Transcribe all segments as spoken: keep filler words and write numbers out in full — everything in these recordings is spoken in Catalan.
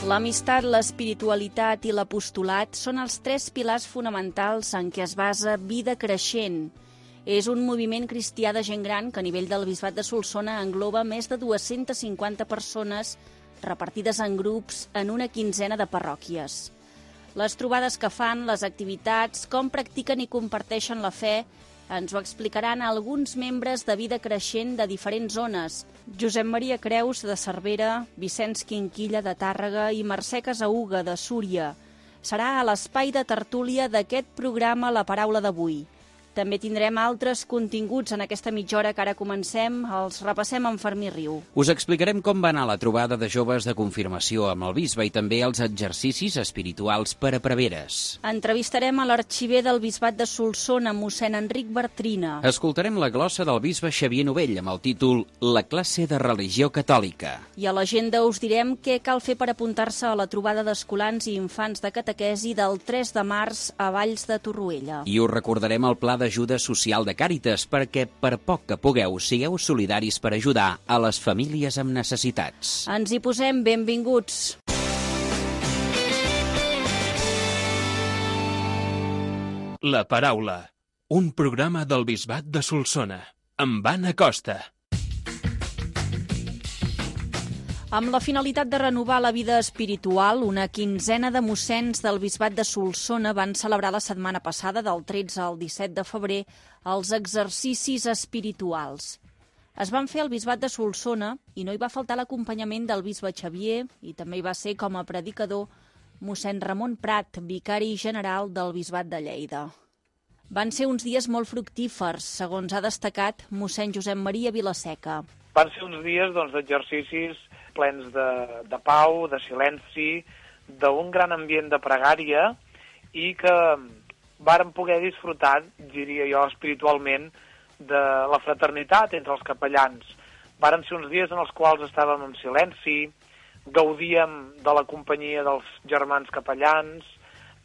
L'amistat, l'espiritualitat i l'apostolat són els tres pilars fonamentals en què es basa Vida Creixent. És un moviment cristià de gent gran que a nivell del Bisbat de Solsona engloba més de dues-centes cinquanta persones repartides en grups en una quinzena de parròquies. Les trobades que fan, les activitats, com practiquen i comparteixen la fe, ens ho explicaran alguns membres de Vida Creixent de diferents zones. Josep Maria Creus, de Cervera, Vicenç Quinquilla, de Tàrrega i Mercè Casauga, de Súria. Serà a l'espai de tertúlia d'aquest programa La Paraula d'avui. També tindrem altres continguts en aquesta mitja hora que ara comencem. Els repassem amb Fermí Riu. Us explicarem com va anar la trobada de joves de confirmació amb el bisbe i també els exercicis espirituals per a preveres. Entrevistarem a l'arxiver del Bisbat de Solsona, mossèn Enric Bartrina. Escoltarem la glossa del bisbe Xavier Novell amb el títol La classe de religió catòlica. I a l'agenda us direm què cal fer per apuntar-se a la trobada d'escolans i infants de catequesi del tres de març a Valls de Torroella. I us recordarem el pla de ajuda social de Càritas perquè, per poc que pugueu, sigueu solidaris per ajudar a les famílies amb necessitats. Ens hi posem, benvinguts. La Paraula, un programa del Bisbat de Solsona, amb Anna Costa. Amb la finalitat de renovar la vida espiritual, una quinzena de mossens del Bisbat de Solsona van celebrar la setmana passada, del tretze al disset de febrer, els exercicis espirituals. Es van fer al Bisbat de Solsona i no hi va faltar l'acompanyament del bisbe Xavier i també hi va ser com a predicador mossèn Ramon Prat, vicari general del Bisbat de Lleida. Van ser uns dies molt fructífers, segons ha destacat mossèn Josep Maria Vilaseca. Van ser uns dies doncs, d'exercicis plens de, de pau, de silenci, d'un gran ambient de pregària i que vàrem poder disfrutar, diria jo, espiritualment, de la fraternitat entre els capellans. Varen ser uns dies en els quals estàvem en silenci, gaudíem de la companyia dels germans capellans,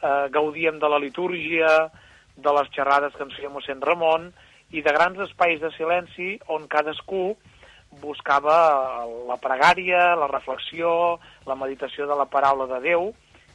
eh, gaudíem de la litúrgia, de les xerrades que ens feia mossèn Ramon i de grans espais de silenci on cadascú buscava la pregària, la reflexió, la meditació de la paraula de Déu,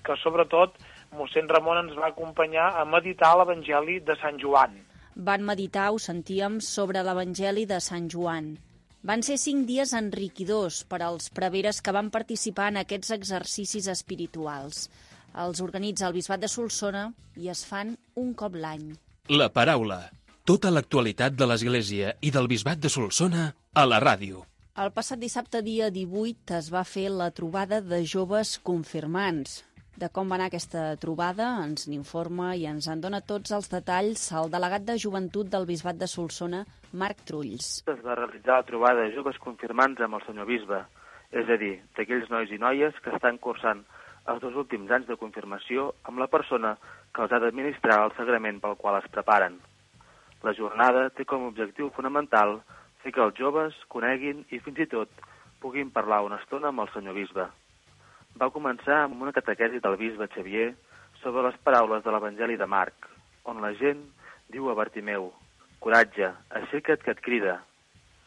que sobretot mossèn Ramon ens va acompanyar a meditar l'Evangeli de Sant Joan. Van meditar, ho sentíem, sobre l'Evangeli de Sant Joan. Van ser cinc dies enriquidors per als preveres que van participar en aquests exercicis espirituals. Els organitza el Bisbat de Solsona i es fan un cop l'any. La Paraula, tota l'actualitat de l'Església i del Bisbat de Solsona a la ràdio. El passat dissabte, dia divuit, es va fer la trobada de joves confirmants. De com va anar aquesta trobada ens n'informa i ens en dona tots els detalls el delegat de joventut del Bisbat de Solsona, Marc Trulls. Es va realitzar la trobada de joves confirmants amb el senyor bisbe, és a dir, d'aquells nois i noies que estan cursant els dos últims anys de confirmació amb la persona que els ha d'administrar el sagrament pel qual es preparen. La jornada té com a objectiu fonamental fer que els joves coneguin i fins i tot puguin parlar una estona amb el senyor bisbe. Va començar amb una catequesi del bisbe Xavier sobre les paraules de l'Evangeli de Marc, on la gent diu a Bartimeu: «Coratge, aixeca't que et crida»,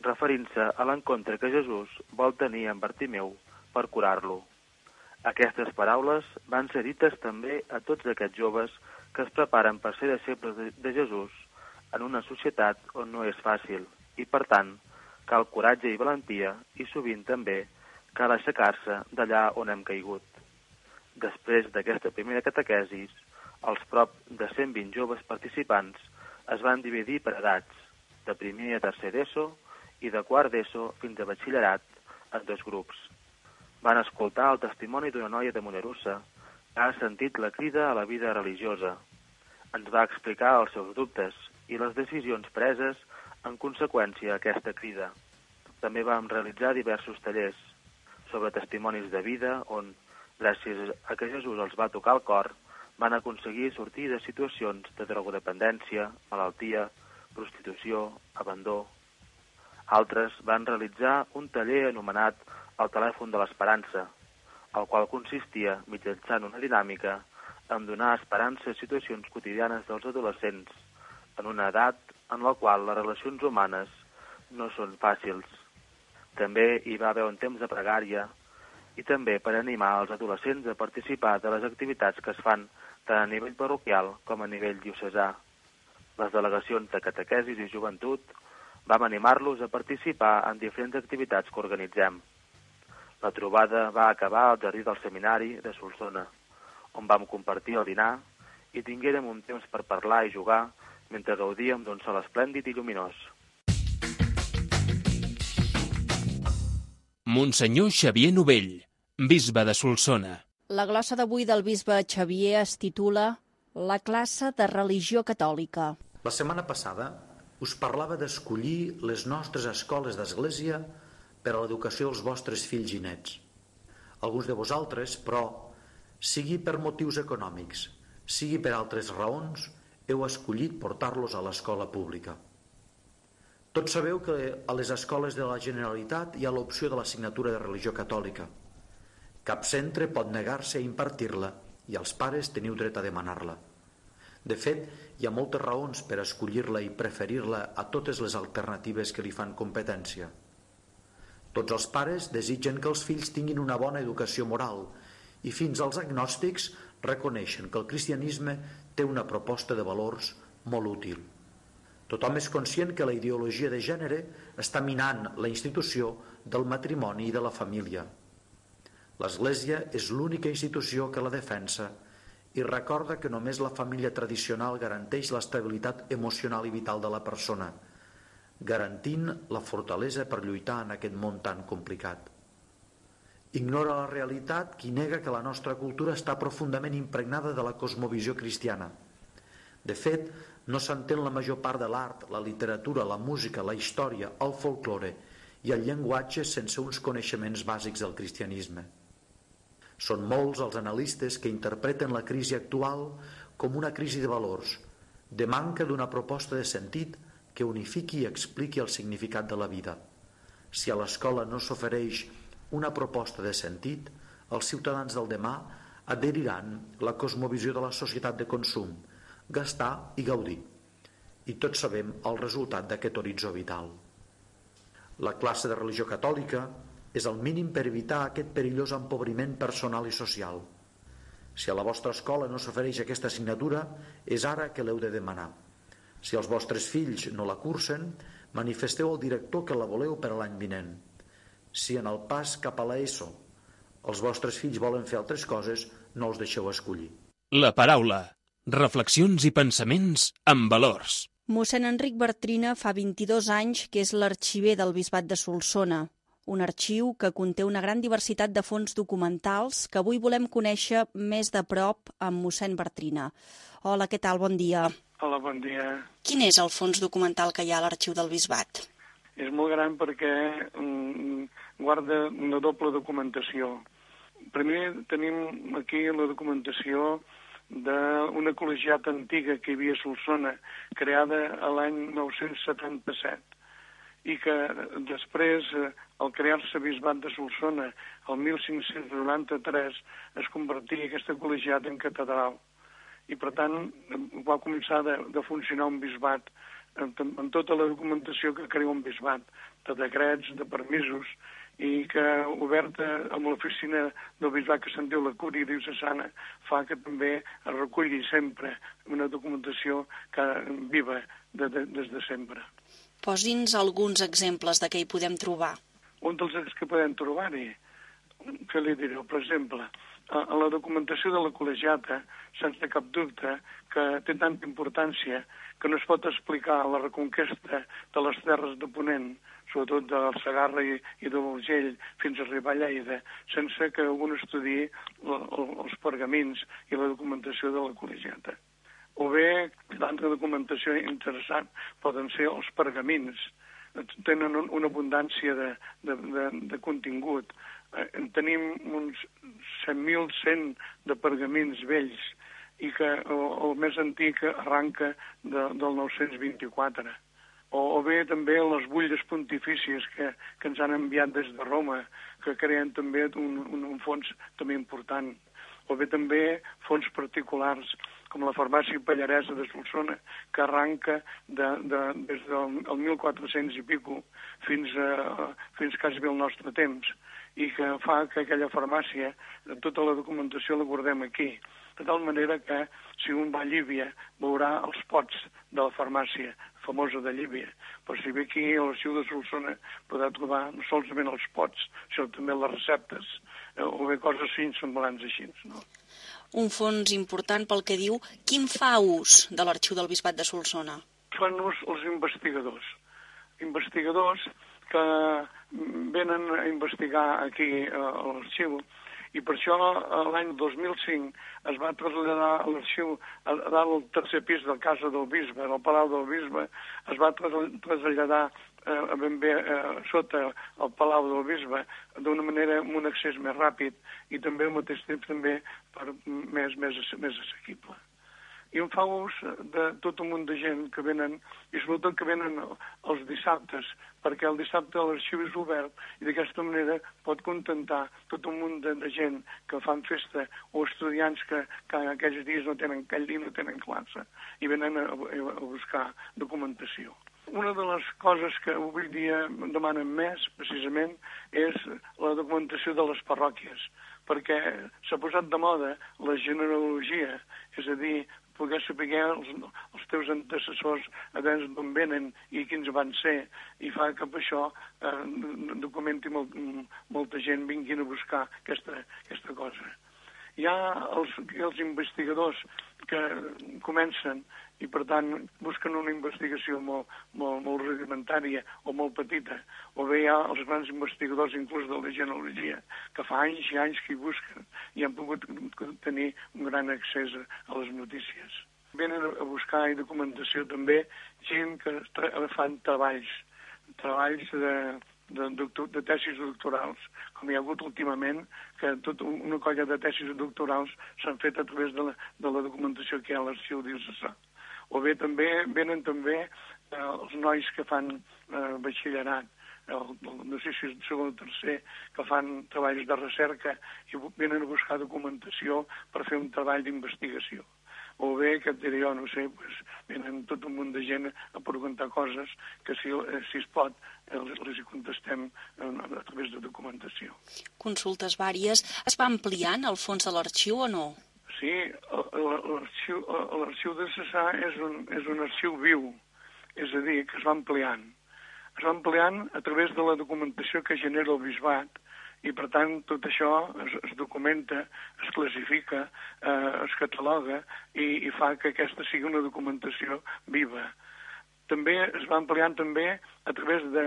referint-se a l'encontre que Jesús vol tenir amb Bartimeu per curar-lo. Aquestes paraules van ser dites també a tots aquests joves que es preparen per ser deixebles de Jesús en una societat on no és fàcil i, per tant, cal coratge i valentia i sovint també cal aixecar-se d'allà on hem caigut. Després d'aquesta primera catequesis, els prop de cent vint joves participants es van dividir per edats, de primer a tercer d'ESO i de quart d'ESO fins a batxillerat en dos grups. Van escoltar el testimoni d'una noia de Mollerussa que ha sentit la crida a la vida religiosa. Ens va explicar els seus dubtes i les decisions preses en conseqüència a aquesta crida. També vam realitzar diversos tallers sobre testimonis de vida on, gràcies a que Jesús els va tocar el cor, van aconseguir sortir de situacions de drogodependència, malaltia, prostitució, abandó. Altres van realitzar un taller anomenat el telèfon de l'esperança, el qual consistia, mitjançant una dinàmica, en donar esperança a situacions quotidianes dels adolescents, en una edat en la qual les relacions humanes no són fàcils. També hi va haver un temps de pregària i també per animar els adolescents a participar de les activitats que es fan tant a nivell parroquial com a nivell diocesà. Les delegacions de catequesis i joventut vam animar-los a participar en diferents activitats que organitzem. La trobada va acabar al jardí del seminari de Solsona, on vam compartir el dinar i tinguérem un temps per parlar i jugar mentre gaudíem d'un sol esplèndid i lluminós. Monsenyor Xavier Novell, bisbe de Solsona. La glossa d'avui del bisbe Xavier es titula La classe de religió catòlica. La setmana passada us parlava d'escollir les nostres escoles d'església per a l'educació dels vostres fills i nets. Alguns de vosaltres, però, sigui per motius econòmics, sigui per altres raons, heu escollit portar-los a l'escola pública. Tots sabeu que a les escoles de la Generalitat hi ha l'opció de l'assignatura de religió catòlica. Cap centre pot negar-se a impartir-la i els pares teniu dret a demanar-la. De fet, hi ha moltes raons per escollir-la i preferir-la a totes les alternatives que li fan competència. Tots els pares desitgen que els fills tinguin una bona educació moral i fins als agnòstics reconeixen que el cristianisme té una proposta de valors molt útil. Tothom és conscient que la ideologia de gènere està minant la institució del matrimoni i de la família. L'Església és l'única institució que la defensa i recorda que només la família tradicional garanteix l'estabilitat emocional i vital de la persona, garantint la fortalesa per lluitar en aquest món tan complicat. Ignora la realitat qui nega que la nostra cultura està profundament impregnada de la cosmovisió cristiana. De fet, no s'entén la major part de l'art, la literatura, la música, la història, el folklore i el llenguatge sense uns coneixements bàsics del cristianisme. Són molts els analistes que interpreten la crisi actual com una crisi de valors, de manca d'una proposta de sentit que unifiqui i expliqui el significat de la vida. Si a l'escola no s'ofereix una proposta de sentit, els ciutadans del demà adheriran la cosmovisió de la societat de consum, gastar i gaudir. I tots sabem el resultat d'aquest horitzó vital. La classe de religió catòlica és el mínim per evitar aquest perillós empobriment personal i social. Si a la vostra escola no s'ofereix aquesta assignatura, és ara que l'heu de demanar. Si els vostres fills no la cursen, manifesteu al director que la voleu per a l'any vinent. Si en el pas cap a l'ESO els vostres fills volen fer altres coses, no els deixeu escollir. La paraula. Reflexions i pensaments amb valors. Mossèn Enric Bartrina fa vint-i-dos anys que és l'arxiver del Bisbat de Solsona, un arxiu que conté una gran diversitat de fons documentals que avui volem conèixer més de prop amb mossèn Bartrina. Hola, què tal? Bon dia. Hola, bon dia. Quin és el fons documental que hi ha a l'arxiu del Bisbat? És molt gran perquè mm, guarda una doble documentació. Primer tenim aquí la documentació d'una col·legiata antiga que hi havia a Solsona, creada a l'any nou-cents setanta-set, i que després, al crear-se Bisbat de Solsona, el mil cinc-cents noranta-tres, es convertia aquesta col·legiata en catedral. I, per tant, va començar de, de funcionar un bisbat en, en tota la documentació que crea un bisbat, de decrets, de permisos, i que, oberta amb l'oficina del bisbat que se'n diu la Cúria Diocesana, fa que també es reculli sempre una documentació que viva de, de, des de sempre. Posi'ns alguns exemples de què hi podem trobar. Un dels que podem trobar-hi, que li diré, per exemple, a la documentació de la col·legiata, sense cap dubte, que té tanta importància que no es pot explicar la reconquesta de les terres de Ponent, sobretot del Segarra i, i de l'Urgell, fins a arribar a Lleida, sense que algú estudi els pergamins i la documentació de la col·legiata. O bé, l'altra documentació interessant poden ser els pergamins. Tenen una abundància de, de, de, de contingut. Tenim uns set mil cent de pergamins vells i que el, el més antic arranca de, del nou-cents vint-i-quatre. O, o bé també les butlles pontifícies que, que ens han enviat des de Roma, que creen també un, un, un fons també important. O bé també fons particulars. com la farmàcia Pallaresa de Solsona, que arranca de, de, des del mil quatre-cents i pico fins, a, fins quasi bé al nostre temps, i que fa que aquella farmàcia, tota la documentació la guardem aquí. De tal manera que, si un va a Llívia, veurà els pots de la farmàcia famosa de Llívia. Però si ve aquí a l'arxiu de Solsona podrà trobar no solament els pots, sinó també les receptes, eh, o bé coses així, semblants així, no? Un fons important pel que diu. Quin fa ús de l'arxiu del Bisbat de Solsona? Fan ús els investigadors. Investigadors que venen a investigar aquí a l'arxiu, i per això l'any dos mil cinc es va traslladar a l'arxiu, a dalt al tercer pis de la Casa del Bisbe, al Palau del Bisbe, es va traslladar eh, ben bé eh, sota el Palau del Bisbe d'una manera amb un accés més ràpid i també al mateix temps també per més, més, més assequible. I em fa ús de tot un munt de gent que venen, i sobretot que venen els dissabtes, perquè el dissabte l'arxiu és obert i d'aquesta manera pot contentar tot un munt de, de gent que fan festa o estudiants que, que aquells dies no tenen, aquell dia no tenen classe i venen a, a buscar documentació. Una de les coses que avui dia demanen més, precisament, és la documentació de les parròquies, perquè s'ha posat de moda la genealogia, és a dir, poder saber els, els teus antecessors a veure d'on venen i quins van ser, i fa que per això eh, documenti molt, molta gent vinguin a buscar aquesta, aquesta cosa. Hi ha els, els investigadors que comencen i, per tant, busquen una investigació molt, molt, molt rudimentària o molt petita, o bé hi ha els grans investigadors, inclús de la genealogia, que fa anys i anys que hi busquen i han pogut tenir un gran accés a les notícies. Venen a buscar documentació també gent que fan treballs, treballs de... De, doctor, de tesis doctorals, com hi ha hagut últimament, que tota una colla de tesis doctorals s'han fet a través de la, de la documentació que hi ha a l'arxiu diocesà. O bé també venen també eh, els nois que fan eh, batxillerat, el, el, no sé si és el segon o tercer, que fan treballs de recerca i venen a buscar documentació per fer un treball d'investigació. O bé, que et diré jo, no sé, pues, venen tot un munt de gent a preguntar coses que, si, si es pot, els, els hi contestem a, a través de documentació. Consultes vàries. Es va ampliant el fons de l'arxiu o no? Sí, l'arxiu de Cessà és un, és un arxiu viu, és a dir, que es va ampliant. Es va ampliant a través de la documentació que genera el bisbat, i per tant tot això es, es documenta, es classifica, eh, es cataloga i, i fa que aquesta sigui una documentació viva. També es va ampliant també a través de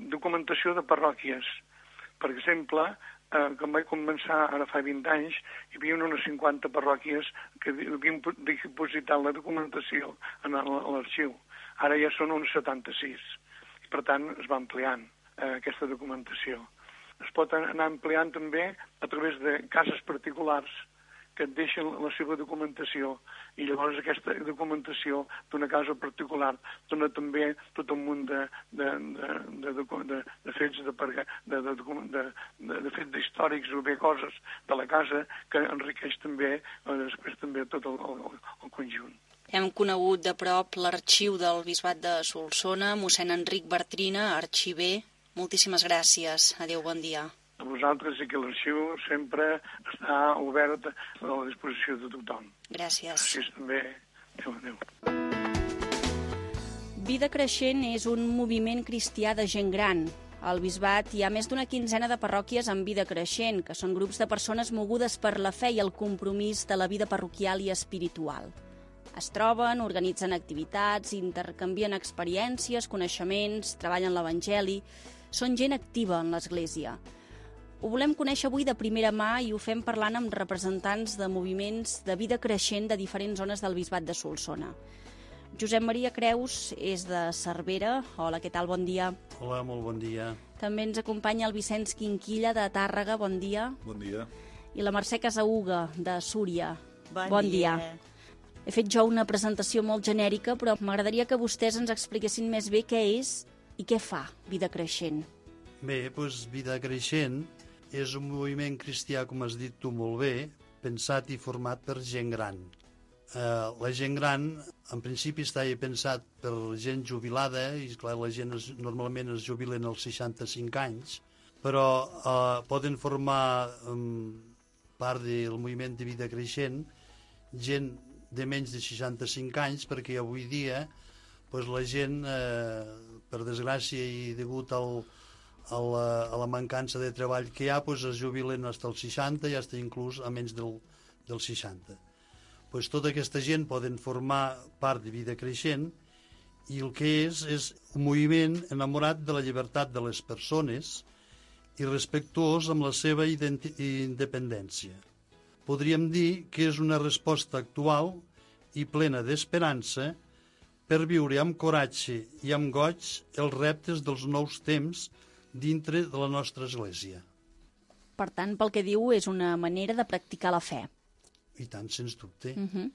documentació de parròquies. Per exemple, eh, quan vaig començar ara fa vint anys, hi havia unes cinquanta parròquies que havien dipositat la documentació en l'arxiu. Ara ja són uns setanta-sis. I per tant es va ampliant eh, aquesta documentació. Es pot anar ampliant també a través de cases particulars que et deixen la seva documentació i llavors aquesta documentació d'una casa particular dona també tot un munt de, de, de, de, de, de fets de, de, de, de, de, de fets històrics o bé coses de la casa que enriqueix també eh, després també tot el, el, el conjunt. Hem conegut de prop l'arxiu del Bisbat de Solsona, mossèn Enric Bartrina, arxiver. Moltíssimes gràcies. Adéu, bon dia. A vosaltres i que l'arxiu sempre està obert a la disposició de tothom. Gràcies. Gràcies també. Adéu, adéu. Vida Creixent és un moviment cristià de gent gran. Al Bisbat hi ha més d'una quinzena de parròquies amb Vida Creixent, que són grups de persones mogudes per la fe i el compromís de la vida parroquial i espiritual. Es troben, organitzen activitats, intercanvien experiències, coneixements, treballen l'Evangeli. Són gent activa en l'Església. Ho volem conèixer avui de primera mà i ho fem parlant amb representants de moviments de vida creixent de diferents zones del Bisbat de Solsona. Josep Maria Creus és de Cervera. Hola, què tal? Bon dia. Hola, molt bon dia. També ens acompanya el Vicenç Quinquilla de Tàrrega. Bon dia. Bon dia. I la Mercè Casauga de Súria. Bon, bon dia. dia. He fet jo una presentació molt genèrica, però m'agradaria que vostès ens expliquessin més bé què és i què fa Vida Creixent. Bé, doncs Vida Creixent és un moviment cristià, com has dit tu molt bé, pensat i format per gent gran. Eh, la gent gran, en principi, estava pensat per gent jubilada, i clar, la gent es, normalment es jubilen als seixanta-cinc anys, però eh, poden formar um, part del moviment de vida creixent gent de menys de seixanta-cinc anys, perquè avui dia pues, la gent, eh, per desgràcia i degut al, a, la, a la mancança de treball que hi ha, pues, es jubilen fins als seixanta i fins inclús a menys del, dels seixanta. Pues, tota aquesta gent poden formar part de vida creixent i el que és és un moviment enamorat de la llibertat de les persones i respectuós amb la seva independència. Podríem dir que és una resposta actual i plena d'esperança per viure amb coratge i amb goig els reptes dels nous temps dintre de la nostra Església. Per tant, pel que diu, és una manera de practicar la fe. I tant, sens dubte. Uh -huh.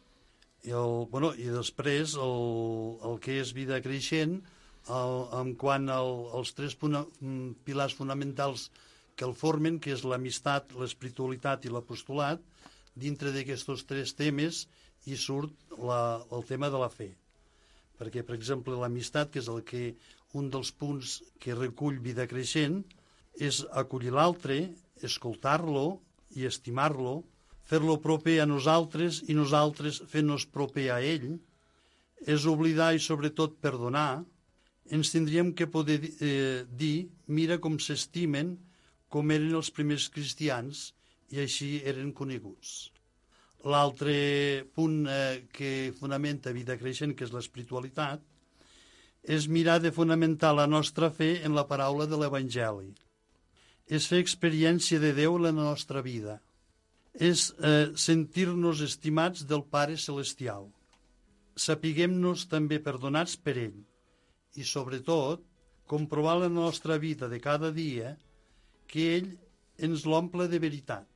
I, el, bueno, i després el, el que és vida creixent, el, en quant al, als tres puna, pilars fonamentals que el formen, que és l'amistat, l'espiritualitat i l'apostolat, dintre d'aquests tres temes hi surt la, el tema de la fe. Perquè, per exemple, l'amistat, que és el que, un dels punts que recull vida creixent, és acollir l'altre, escoltar-lo i estimar-lo, fer-lo proper a nosaltres i nosaltres fent-nos proper a ell, és oblidar i sobretot perdonar. Ens tindríem que poder eh, dir, mira com s'estimen, com eren els primers cristians, i així eren coneguts. L'altre punt eh, que fonamenta vida creixent, que és l'espiritualitat, és mirar de fonamentar la nostra fe en la paraula de l'Evangeli. És fer experiència de Déu en la nostra vida. És eh, sentir-nos estimats del Pare Celestial. Sapiguem-nos també perdonats per ell. I, sobretot, comprovar la nostra vida de cada dia que ell ens l'omple de veritat,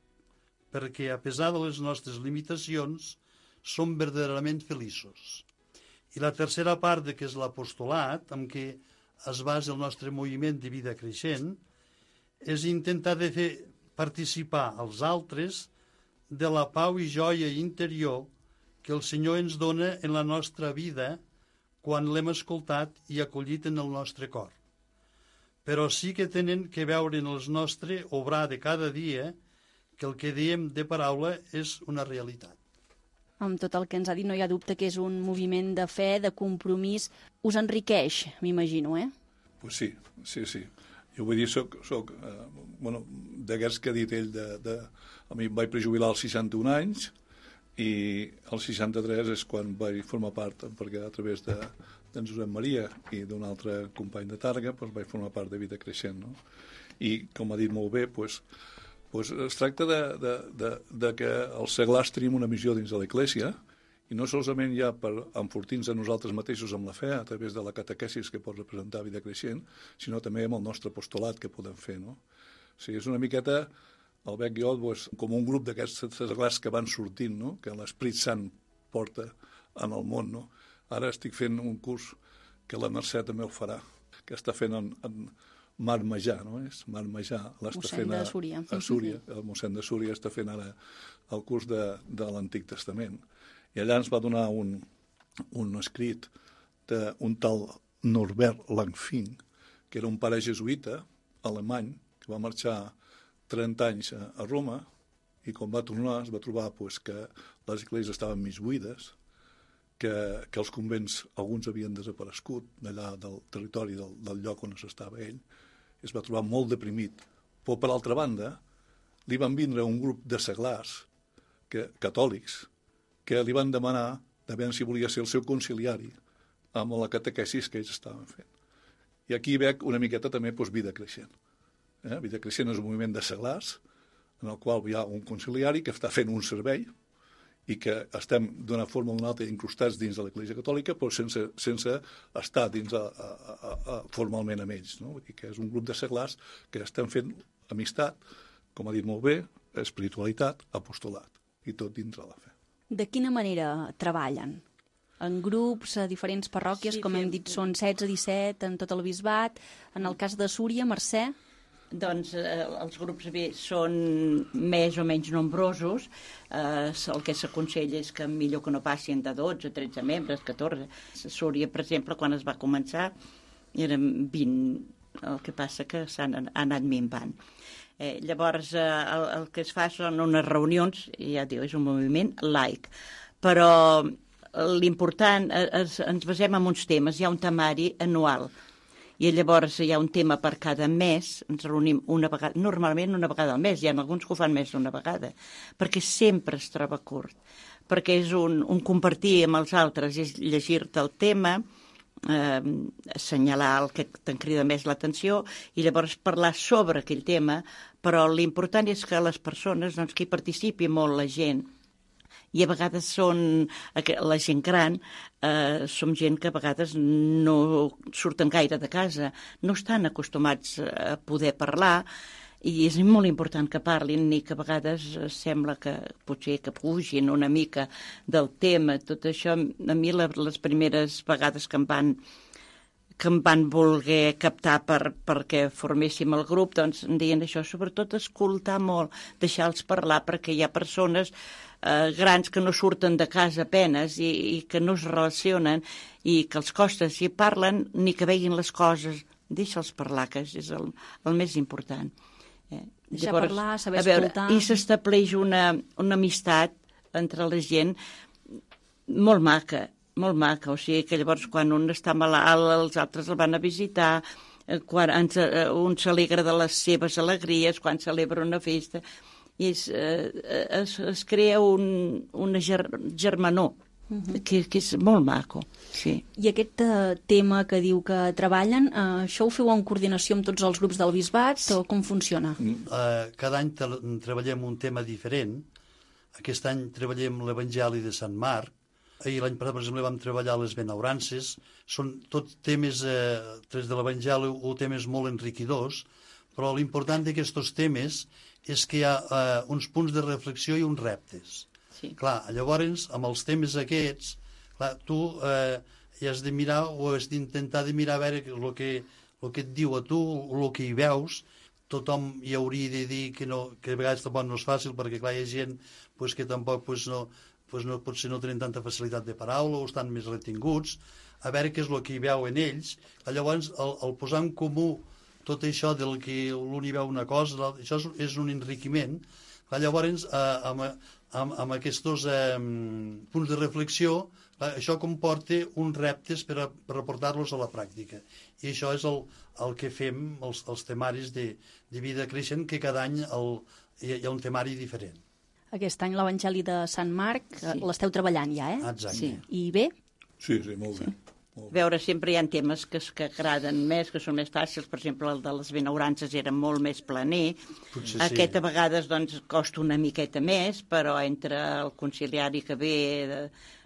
perquè, a pesar de les nostres limitacions, som verdaderament feliços. I la tercera part, que és l'apostolat, amb què es basa el nostre moviment de vida creixent, és intentar de fer participar als altres de la pau i joia interior que el Senyor ens dona en la nostra vida quan l'hem escoltat i acollit en el nostre cor. Però sí que tenen que veure en el nostre obrar de cada dia que el que diem de paraula és una realitat. Amb tot el que ens ha dit no hi ha dubte que és un moviment de fe, de compromís. Us enriqueix, m'imagino, eh? Pues sí, sí, sí. Jo vull dir, soc, soc eh, bueno, d'aquests que ha dit ell, de, de, a mi em vaig prejubilar als seixanta-un anys i als seixanta-tres és quan vaig formar part, perquè a través de, d'en Josep Maria i d'un altre company de Tàrrega doncs vaig formar part de Vida Creixent. No? I, com ha dit molt bé, doncs, doncs es tracta de, de, de, de que els seglars tenim una missió dins de l'Església i no solament ja per enfortir-nos a nosaltres mateixos amb la fe a través de la catequesis que pot representar Vida Creixent, sinó també amb el nostre apostolat que podem fer. No? O sigui, és una miqueta, el Bec i jo, doncs, com un grup d'aquests seglars que van sortint, no? Que l'Esprit Sant porta en el món. No? Ara estic fent un curs que la Mercè també ho farà, que està fent en, en Mar Majà, no és? Mar Majà l'està fent a, a Súria, el mossèn de Súria està fent ara el curs de, de l'Antic Testament. I allà ens va donar un, un escrit d'un tal Norbert Langfing, que era un pare jesuïta alemany que va marxar trenta anys a, a Roma i quan va tornar es va trobar pues, que les esglésies estaven mig buides, que, que els convents alguns havien desaparegut d'allà del territori del, del lloc on s'estava ell. Es va trobar molt deprimit. Però, per altra banda, li van vindre un grup de seglars que, catòlics que li van demanar de veure si volia ser el seu conciliari amb la catequesis que ells estaven fent. I aquí veig una miqueta també doncs, Vida Creixent. Eh? Vida Creixent és un moviment de seglars en el qual hi ha un conciliari que està fent un servei i que estem d'una forma o d'una altra incrustats dins de l'Església Catòlica però sense, sense estar dins a, a, a, a, formalment amb ells. No? I que és un grup de seglars que estem fent amistat, com ha dit molt bé, espiritualitat, apostolat, i tot dins de la fe. De quina manera treballen? En grups, a diferents parròquies, sí, com hem dit, són setze, disset en tot el bisbat. En el cas de Súria, Mercè? Doncs eh, els grups B són més o menys nombrosos. Eh, el que s'aconsella és que millor que no passin de dotze, tretze membres, catorze. A Súria, per exemple, quan es va començar, eren vint. El que passa que s'han anat minvant. Eh, llavors, eh, el, el que es fa són unes reunions, i ja diu, és un moviment laic. Però l'important, es, ens basem en uns temes. Hi ha un temari anual, i llavors hi ha un tema per cada mes, ens reunim una vegada, normalment una vegada al mes, hi ha alguns que ho fan més d'una vegada, perquè sempre es troba curt, perquè és un, un compartir amb els altres, és llegir-te el tema, eh, assenyalar el que te'n crida més l'atenció i llavors parlar sobre aquell tema, però l'important és que les persones, doncs, que hi participi molt la gent, i a vegades són, la gent gran, eh, som gent que a vegades no surten gaire de casa, no estan acostumats a poder parlar, i és molt important que parlin, i que a vegades sembla que potser que pugin una mica del tema. Tot això, a mi les primeres vegades que em van que em van voler captar per, perquè forméssim el grup, doncs em deien això, sobretot escoltar molt, deixar-los parlar, perquè hi ha persones eh, grans que no surten de casa apenes i, i que no es relacionen i que els costa, si parlen, ni que veguin les coses, deixa'ls parlar, que és el, el més important. Eh? Deixar Llavors, parlar, saber veure, escoltar... I s'estableix una, una amistat entre la gent molt maca, molt maca, o sigui que llavors quan un està malalt els altres el van a visitar, quan ens, un s'alegra de les seves alegries, quan celebra una festa, i és, eh, es, es crea un, una ger, germanor, uh-huh. que, que és molt maco. Sí. I aquest uh, tema que diu que treballen, uh, això ho feu en coordinació amb tots els grups del bisbat o com funciona? Uh, cada any treballem un tema diferent. Aquest any treballem l'Evangeli de Sant Marc. Ahir l'any passat, per exemple, vam treballar les benaurances. Són tot temes, eh, tres de l'Evangeli, o temes molt enriquidors, però l'important d'aquests temes és que hi ha eh, uns punts de reflexió i uns reptes. Sí. Clar, llavors, amb els temes aquests, clar, tu eh, hi has de mirar o has d'intentar de mirar a veure el que, el que et diu a tu, el que hi veus. Tothom hi hauria de dir que, no, que a vegades tampoc no és fàcil, perquè clar, hi ha gent pues, que tampoc pues, no... Pues no, potser no tenen tanta facilitat de paraula o estan més retinguts, a veure què és el que hi veu en ells. Llavors, el, el posar en comú tot això del que l'un hi veu una cosa, això és, és un enriquiment. Llavors, eh, amb, amb, amb aquests eh, punts de reflexió, això comporta uns reptes per, a, per aportar-los a la pràctica. I això és el, el que fem, els, els temaris de, de vida creixent, que cada any el, hi ha un temari diferent. Aquest any l'Evangeli de Sant Marc sí. l'esteu treballant ja, eh? Exacte. Sí. I bé? Sí, sí, molt bé. Sí. Molt bé. Veure, sempre hi ha temes que, que agraden més, que són més fàcils. Per exemple, el de les benaurances era molt més planer. Potser Aquest sí. a vegades doncs, costa una miqueta més, però entre el conciliari que ve,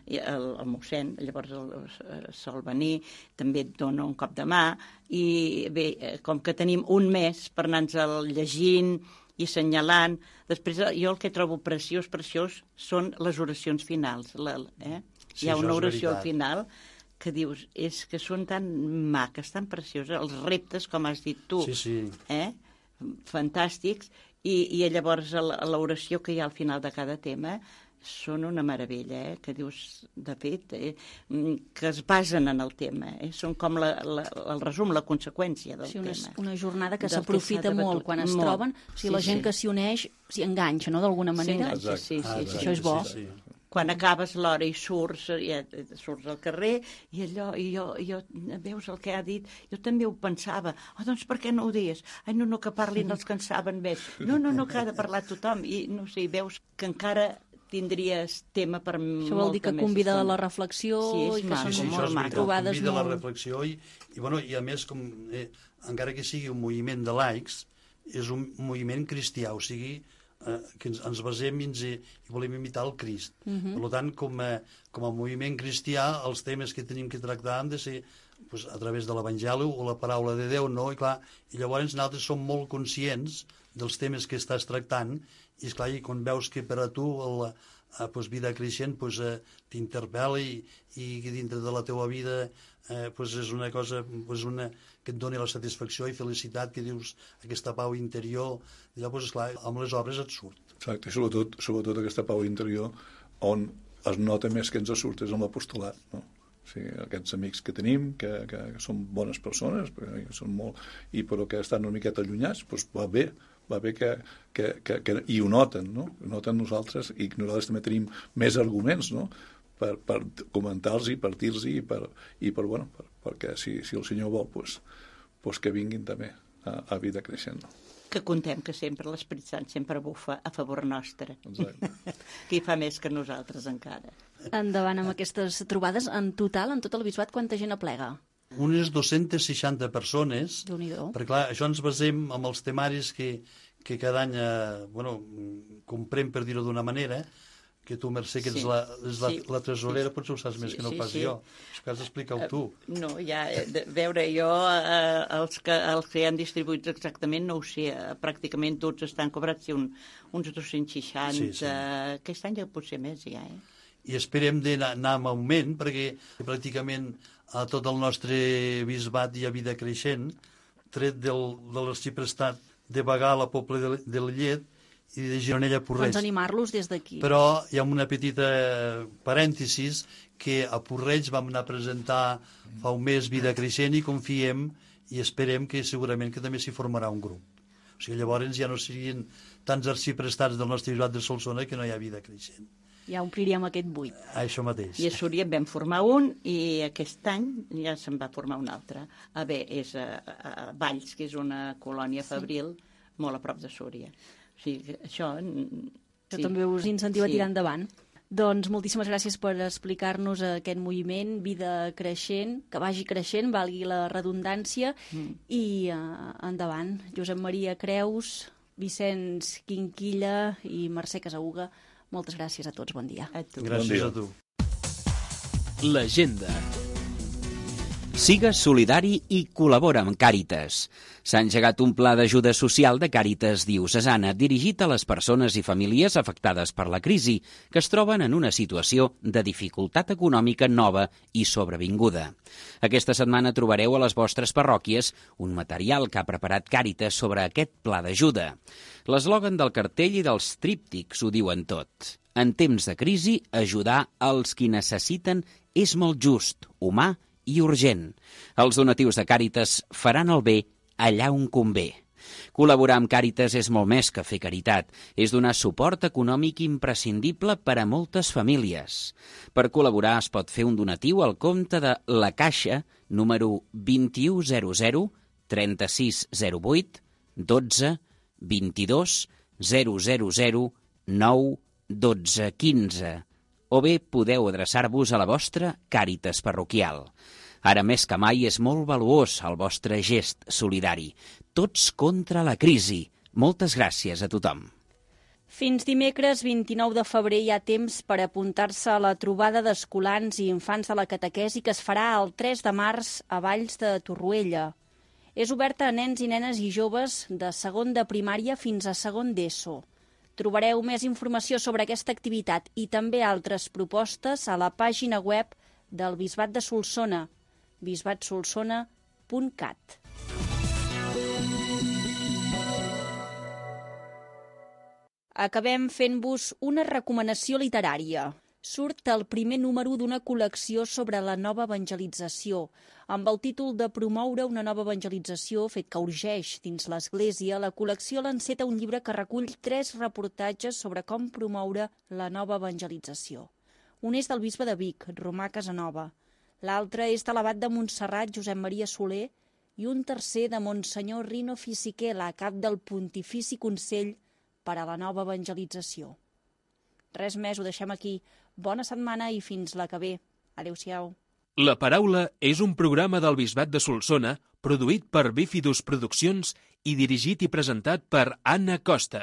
el, el mossèn, llavors el, el sol venir, també et dona un cop de mà. I bé, com que tenim un mes per anar-nos llegint i assenyalant. Després, jo el que trobo preciós, preciós, són les oracions finals. La, eh? Sí, hi ha una oració al final que dius, és que són tan maques, tan precioses, els reptes, com has dit tu, sí, sí. Eh? Fantàstics, i, i llavors l'oració que hi ha al final de cada tema són una meravella, eh? Que dius, de fet, eh? que es basen en el tema. Eh? Són com la, la, el resum, la conseqüència del sí, una, tema. Una jornada que s'aprofita molt quan es molt. troben. O sigui, sí, la gent sí. que s'hi uneix s'hi enganxa, no?, d'alguna manera. Sí, sí, sí, ah, sí, sí. Això és bo. Sí, sí. Quan acabes l'hora i surts, ja, surts al carrer, i allò, i jo, i jo, veus el que ha dit, jo també ho pensava. Oh, doncs per què no ho dius? Ai, no, no, que parlin els que en saben més. No, no, no, que ha de parlar tothom. I no sé, veus que encara tindries tema per molta més. Això vol dir que convida a la reflexió sí, i que maco, són sí, molt molt trobades convida molt... a la reflexió i, i, bueno, i a més, com, eh, encara que sigui un moviment de laics, és un moviment cristià, o sigui, eh, que ens, ens basem i, ens, i volem imitar el Crist. Uh-huh. Per tant, com a, com a moviment cristià, els temes que tenim que tractar han de ser pues, a través de l'Evangeli o la paraula de Déu, no? I, clar, i llavors nosaltres som molt conscients dels temes que estàs tractant i, esclar, i quan veus que per a tu la pues, vida creixent pues, eh, t'interpel·la i, i dintre de la teua vida eh, pues és una cosa pues una, que et doni la satisfacció i felicitat, que dius aquesta pau interior, allò, pues, esclar, amb les obres et surt. Exacte, i sobretot, sobretot aquesta pau interior on es nota més que ens surt és amb l'apostolat, no? O sigui, aquests amics que tenim, que, que, que són bones persones, que són molt, i però que estan una miqueta allunyats, doncs va bé, va bé que, que, que, que i ho noten, no? Ho noten nosaltres, i nosaltres també tenim més arguments, no?, per, per comentar-los i partir-los i, per, i per, bueno, per, perquè si, si el Senyor vol, doncs, doncs que vinguin també a, a vida creixent, no? Que contem que sempre l'Esperit Sant sempre bufa a favor nostre. Exacte. Que hi fa més que nosaltres encara. Endavant amb aquestes trobades. En total, en tot el bisbat, quanta gent aplega? Unes dues-centes seixanta persones, Déu-n'hi-do. perquè clar, això ens basem amb els temaris que, que cada any eh, bueno, comprem, per dir-ho d'una manera, que tu, Mercè, que ets Sí, la, és la, sí. la tresorera, potser ho saps més Sí, que no sí, pas sí. jo. Això que has d'explicar-ho tu. No, ja, de, veure, jo eh, els, que, els que han distribuïts exactament no ho sé, eh, pràcticament tots estan cobrats, sí, un, uns dos-cents seixanta, Sí, sí. aquest any ja potser més ja, eh? I esperem d'anar anar en augment, perquè pràcticament a tot el nostre bisbat hi ha vida creixent, tret del, de l'arxiprestat de Bagà, la Pobla de, de Llet, i de Gironella Porreig. Doncs animar-los des d'aquí. Però hi ha una petita parèntesis que a Porreig vam anar a presentar fa un mes vida creixent i confiem i esperem que segurament que també s'hi formarà un grup. O sigui, llavors ja no serien tants arxiprestats del nostre bisbat de Solsona que no hi ha vida creixent. Ja ompliríem aquest buit. Això mateix. I a Súria en vam formar un i aquest any ja se'n va formar un altre. A bé, és a, a Valls, que és una colònia fabril molt a prop de Súria. O sigui, això... Això sí. També us incentiva sí. a tirar endavant. Doncs moltíssimes gràcies per explicar-nos aquest moviment, vida creixent, que vagi creixent, valgui la redundància, mm. i uh, endavant. Josep Maria Creus, Vicenç Quinquilla i Mercè Casauga, moltes gràcies a tots, bon dia. A tu. Gràcies a tu. L'agenda. Sigues solidari i col·labora amb Càritas. S'ha engegat un pla d'ajuda social de Càritas diocesana dirigit a les persones i famílies afectades per la crisi, que es troben en una situació de dificultat econòmica nova i sobrevinguda. Aquesta setmana trobareu a les vostres parròquies un material que ha preparat Càritas sobre aquest pla d'ajuda. L'eslògan del cartell i dels tríptics ho diuen tot. En temps de crisi, ajudar els qui necessiten és molt just, humà i urgent. Els donatius de Càritas faran el bé allà on convé. Col·laborar amb Càritas és molt més que fer caritat. És donar suport econòmic imprescindible per a moltes famílies. Per col·laborar es pot fer un donatiu al compte de La Caixa, número vint-i-u zero zero trenta-sis zero vuit dotze vint-i-dos zero zero zero nou dotze quinze. O bé podeu adreçar-vos a la vostra Càritas parroquial. Ara més que mai és molt valuós el vostre gest solidari. Tots contra la crisi. Moltes gràcies a tothom. Fins dimecres vint-i-nou de febrer hi ha temps per apuntar-se a la trobada d'escolans i infants de la catequesi que es farà el tres de març a Valls de Torroella. És oberta a nens i nenes i joves de segon de primària fins a segon d'ESO. Trobareu més informació sobre aquesta activitat i també altres propostes a la pàgina web del Bisbat de Solsona, bisbat solsona punt cat. Acabem fent-vos una recomanació literària. Surt el primer número d'una col·lecció sobre la nova evangelització, amb el títol de Promoure una nova evangelització, fet que urgeix dins l'Església. La col·lecció l'enceta un llibre que recull tres reportatges sobre com promoure la nova evangelització. Un és del bisbe de Vic, Romà Casanova. L'altre és de l'abat de Montserrat, Josep Maria Soler, i un tercer de Monsenyor Rino Fisichella, cap del Pontifici Consell per a la nova evangelització. Res més, ho deixem aquí. Bona setmana i fins la que ve. Adéu-siau. La Paraula és un programa del Bisbat de Solsona produït per Bífidus Produccions i dirigit i presentat per Anna Costa.